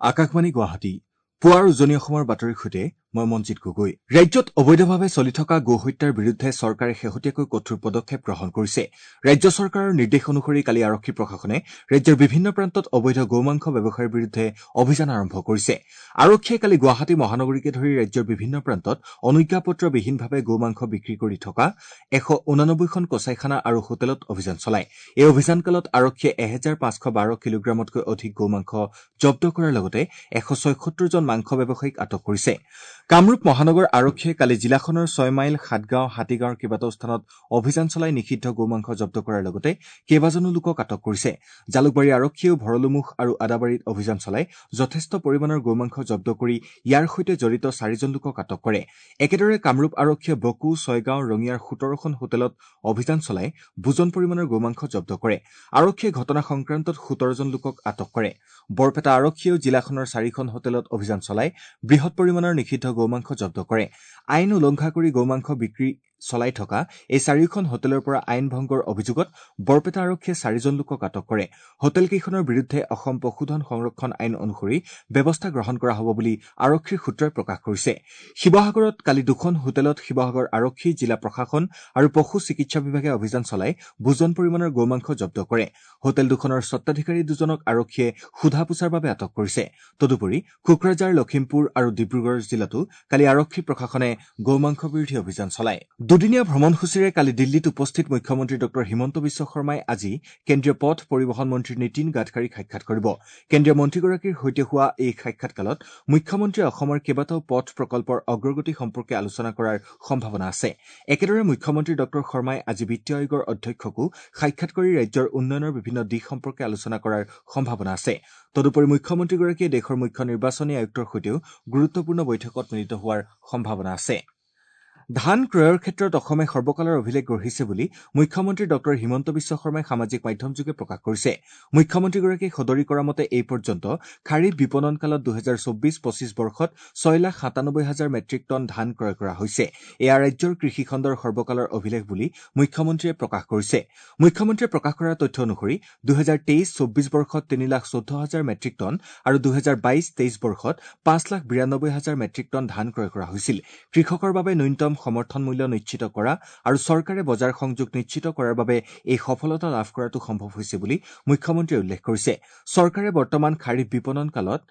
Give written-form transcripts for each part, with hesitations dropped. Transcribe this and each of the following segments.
আকাশবাণী গুৱাহাটী, পুৱাৰ উজনি অসমৰ বাতৰিৰ সৈতে মই মঞ্জিত গগৈ। ৰাজ্যত অবৈধভাৱে চলি থকা গো হত্যাৰ বিৰুদ্ধে চৰকাৰে শেহতীয়াকৈ কঠোৰ পদক্ষেপ গ্ৰহণ কৰিছে। ৰাজ্য চৰকাৰৰ নিৰ্দেশ অনুসৰি কালি আৰক্ষী প্ৰশাসনে ৰাজ্যৰ বিভিন্ন প্ৰান্তত অবৈধ গো মাংস ব্যৱসায়ৰ বিৰুদ্ধে অভিযান আৰম্ভ কৰিছে। আৰক্ষীয়ে কালি গুৱাহাটী মহানগৰীকে ধৰি ৰাজ্যৰ বিভিন্ন প্ৰান্তত অনুজ্ঞাপত্ৰবিহীনভাৱে গো মাংস বিক্ৰী কৰি থকা 189খন কচাইখানা আৰু হোটেলত অভিযান চলায়। এই অভিযানকালত আৰক্ষীয়ে 1512 কিলোগ্ৰামতকৈ অধিক গো মাংস জব্দ কৰাৰ লগতে 176 জন মাংস ব্যৱসায়ীক আটক কৰিছে। কামৰূপ মহানগৰ আৰক্ষীয়ে কালি জিলাখনৰ ছয়মাইল, সাতগাঁও, হাতীগাঁৱৰ কেইবাটাও স্থানত অভিযান চলাই নিষিদ্ধ গো মাংস জব্দ কৰাৰ লগতে কেইবাজনো লোকক আটক কৰিছে। জালুকবাৰী আৰক্ষীয়েও ভৰলুমুখ আৰু আদাবাৰীত অভিযান চলাই যথেষ্ট পৰিমাণৰ গো মাংস জব্দ কৰি ইয়াৰ সৈতে জড়িত 4জন লোকক আটক কৰে। একেদৰে কামৰূপ আৰক্ষীয়ে বকো, ছয়গাঁও, ৰঙিয়াৰ 17খন হোটেলত অভিযান চলাই বুজন পৰিমাণৰ গো মাংস জব্দ কৰে। আৰক্ষীয়ে ঘটনা সংক্ৰান্তত 17জন লোকক আটক কৰে। বৰপেটা আৰক্ষীয়েও জিলাখনৰ 4খন হোটেলত অভিযান চলাই বৃহৎ পৰিমাণৰ নিষিদ্ধ গো মাংস জব্দ কৰে। আইন উলংঘা কৰি গো মাংস বিক্ৰী চলাই থকা এই 4খন হোটেলৰ পৰা আইন ভংগৰ অভিযোগত বৰপেটা আৰক্ষীয়ে 4জন লোকক আটক কৰে। হোটেলকেইখনৰ বিৰুদ্ধে অসম পশুধন সংৰক্ষণ আইন অনুসৰি ব্যৱস্থা গ্ৰহণ কৰা হ'ব বুলি আৰক্ষীৰ সূত্ৰই প্ৰকাশ কৰিছে। শিৱসাগৰত কালি 2খন হোটেলত শিৱসাগৰ আৰক্ষী, জিলা প্ৰশাসন আৰু পশু চিকিৎসা বিভাগে অভিযান চলাই বুজন পৰিমাণৰ গো মাংস জব্দ কৰে। হোটেল দুখনৰ স্বত্বাধিকাৰী দুজনক আৰক্ষীয়ে সোধা পোছাৰ বাবে আটক কৰিছে। তদুপৰি কোকৰাঝাৰ, লখিমপুৰ আৰু ডিব্ৰুগড় জিলাতো কালি আৰক্ষী প্ৰশাসনে গো মাংস বিৰোধী অভিযান চলায়। দুদিনীয়া ভ্ৰমণসূচীৰে কালি দিল্লীত উপস্থিত মুখ্যমন্ত্ৰী ডঃ হিমন্ত বিশ্ব শৰ্মাই আজি কেন্দ্ৰীয় পথ পৰিবহণ মন্ত্ৰী নীতিন গাডকাৰীক সাক্ষাৎ কৰিব। কেন্দ্ৰীয় মন্ত্ৰীগৰাকীৰ সৈতে হোৱা এই সাক্ষাৎকালত মুখ্যমন্ত্ৰীয়ে অসমৰ কেইবাটাও পথ প্ৰকল্পৰ অগ্ৰগতি সম্পৰ্কে আলোচনা কৰাৰ সম্ভাৱনা আছে। একেদৰে মুখ্যমন্ত্ৰী ডঃ শৰ্মাই আজি বিত্তীয় আয়োগৰ অধ্যক্ষকো সাক্ষাৎ কৰি ৰাজ্যৰ উন্নয়নৰ বিভিন্ন দিশ সম্পৰ্কে আলোচনা কৰাৰ সম্ভাৱনা আছে। তদুপৰি মুখ্যমন্ত্ৰীগৰাকীয়ে দেশৰ মুখ্য নিৰ্বাচনী আয়ুক্তৰ সৈতেও গুৰুত্বপূৰ্ণ বৈঠকত মিলিত হোৱাৰ সম্ভাৱনা আছে। ধান ক্ৰয়ৰ ক্ষেত্ৰত অসমে সৰ্বকালৰ অভিলেখ গঢ়িছে বুলি মুখ্যমন্ত্ৰী ডঃ হিমন্ত বিশ্ব শৰ্মাই সামাজিক মাধ্যমযোগে প্ৰকাশ কৰিছে। মুখ্যমন্ত্ৰীগৰাকীয়ে সদৰি কৰা মতে এই পৰ্যন্ত খাৰিফ বিপণন কালত 2024-25 বৰ্ষত 6,97,000 মেট্ৰিক টন ধান ক্ৰয় কৰা হৈছে। এয়া ৰাজ্যৰ কৃষিখণ্ডৰ সৰ্বকালৰ অভিলেখ বুলি মুখ্যমন্ত্ৰীয়ে প্ৰকাশ কৰিছে। মুখ্যমন্ত্ৰীয়ে প্ৰকাশ কৰা তথ্য অনুসৰি 2023-24 বৰ্ষত 3,14,000 মেট্ৰিক টন আৰু 2022-23 বৰ্ষত 5,92,000 মেট্ৰিক টন ধান ক্ৰয় কৰা হৈছিল। কৃষকৰ বাবে ন্যূনতম সমৰ্থন মূল্য নিশ্চিত কৰা আৰু চৰকাৰে বজাৰ সংযোগ নিশ্চিত কৰাৰ বাবে এই সফলতা লাভ কৰাটো সম্ভৱ হৈছে বুলি মুখ্যমন্ত্ৰীয়ে উল্লেখ কৰিছে। চৰকাৰে বৰ্তমান খাৰিফ বিপণন কালত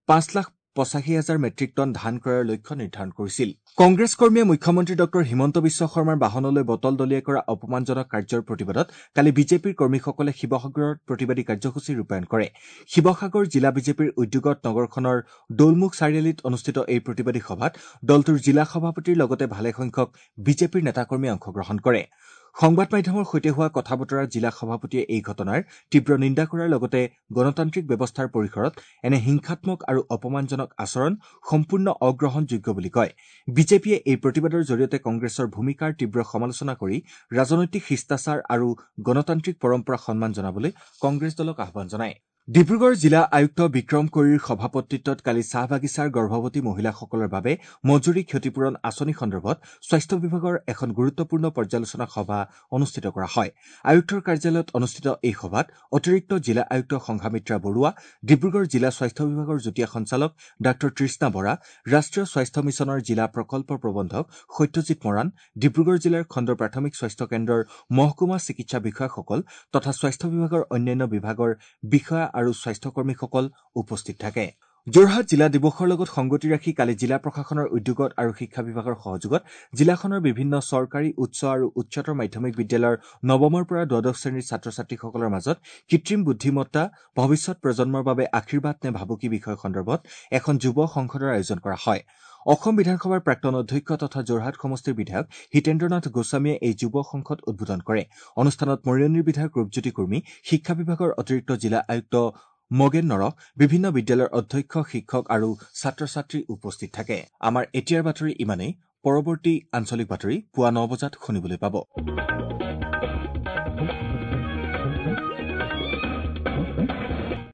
5,85,000 মেট্ৰিক টন ধান ক্ৰয়ৰ লক্ষ্য নিৰ্ধাৰণ কৰিছিল। কংগ্ৰেছ কৰ্মীয়ে মুখ্যমন্ত্ৰী ডঃ হিমন্ত বিশ্ব শৰ্মাৰ বাহনলৈ বটল দলিয়াই কৰা অপমানজনক কাৰ্যৰ প্ৰতিবাদত কালি বিজেপিৰ কৰ্মীসকলে শিৱসাগৰত প্ৰতিবাদী কাৰ্যসূচী ৰূপায়ণ কৰে। শিৱসাগৰ জিলা বিজেপিৰ উদ্যোগত নগৰখনৰ দৌলমুখ চাৰিআলিত অনুষ্ঠিত এই প্ৰতিবাদী সভাত দলটোৰ জিলা সভাপতিৰ লগতে ভালেসংখ্যক বিজেপিৰ নেতাকৰ্মীয়ে অংশগ্ৰহণ কৰে। সংবাদ মাধ্যমৰ সৈতে হোৱা কথা বতৰাত জিলা সভাপতিয়ে এই ঘটনাৰ তীব্ৰ নিন্দা কৰাৰ লগতে গণতান্ত্ৰিক ব্যৱস্থাৰ পৰিসৰত এনে হিংসাত্মক আৰু অপমানজনক আচৰণ সম্পূৰ্ণ অগ্ৰহণযোগ্য বুলি কয়। বিজেপিয়ে এই প্ৰতিবাদৰ জৰিয়তে কংগ্ৰেছৰ ভূমিকাৰ তীব্ৰ সমালোচনা কৰি ৰাজনৈতিক শিষ্টাচাৰ আৰু গণতান্ত্ৰিক পৰম্পৰাক সন্মান জনাবলৈ কংগ্ৰেছ দলক আহ্বান জনায়। ডিব্ৰুগড় জিলা আয়ুক্ত বিক্ৰম কৈৰীৰ সভাপতিত্বত কালি চাহ বাগিচাৰ গৰ্ভৱতী মহিলাসকলৰ বাবে মজুৰি ক্ষতিপূৰণ আঁচনি সন্দৰ্ভত স্বাস্থ্য বিভাগৰ এখন গুৰুত্বপূৰ্ণ পৰ্যালোচনা সভা অনুষ্ঠিত কৰা হয়। আয়ুক্তৰ কাৰ্যালয়ত অনুষ্ঠিত এই সভাত অতিৰিক্ত জিলা আয়ুক্ত সংঘামিত্ৰা বৰুৱা, ডিব্ৰুগড় জিলা স্বাস্থ্য বিভাগৰ যুটীয়া সঞ্চালক ডাঃ তৃষ্ণা বৰা, ৰাষ্ট্ৰীয় স্বাস্থ্য মিছনৰ জিলা প্ৰকল্প প্ৰবন্ধক সত্যজিৎ মৰাণ, ডিব্ৰুগড় জিলাৰ খণ্ড প্ৰাথমিক স্বাস্থ্য কেন্দ্ৰৰ মহকুমা চিকিৎসা বিষয়াসকল তথা স্বাস্থ্য বিভাগৰ অন্যান্য বিভাগৰ বিষয়া আৰু স্বাস্থ্যকৰ্মীসকল উপস্থিত থাকে। যোৰহাট জিলা দিৱসৰ লগত সংগতি ৰাখি কালি জিলা প্ৰশাসনৰ উদ্যোগত আৰু শিক্ষা বিভাগৰ সহযোগত জিলাখনৰ বিভিন্ন চৰকাৰী উচ্চ আৰু উচ্চতৰ মাধ্যমিক বিদ্যালয়ৰ নৱমৰ পৰা দ্বাদশ শ্ৰেণীৰ ছাত্ৰ ছাত্ৰীসকলৰ মাজত কৃত্ৰিম বুদ্ধিমত্তা ভৱিষ্যত প্ৰজন্মৰ বাবে আশীৰ্বাদ নে ভাবুকি বিষয় সন্দৰ্ভত এখন যুৱ সংসদৰ আয়োজন কৰা হয়। অসম বিধানসভাৰ প্ৰাক্তন অধ্যক্ষ তথা যোৰহাট সমষ্টিৰ বিধায়ক হিতেন্দ্ৰনাথ গোস্বামীয়ে এই যুৱ সংসদ উদ্বোধন কৰে। অনুষ্ঠানত মৰিয়নিৰ বিধায়ক ৰূপজ্যোতি কুৰ্মী, শিক্ষা বিভাগৰ অতিৰিক্ত জিলা আয়ুক্ত মগেন নৰহ, বিভিন্ন বিদ্যালয়ৰ অধ্যক্ষ, শিক্ষক আৰু ছাত্ৰ ছাত্ৰী উপস্থিত থাকে। আমাৰ এতিয়াৰ বাতৰি ইমানেই। পৰৱৰ্তী আঞ্চলিক বাতৰি পুৱা ৯ বজাত শুনিবলৈ পাব।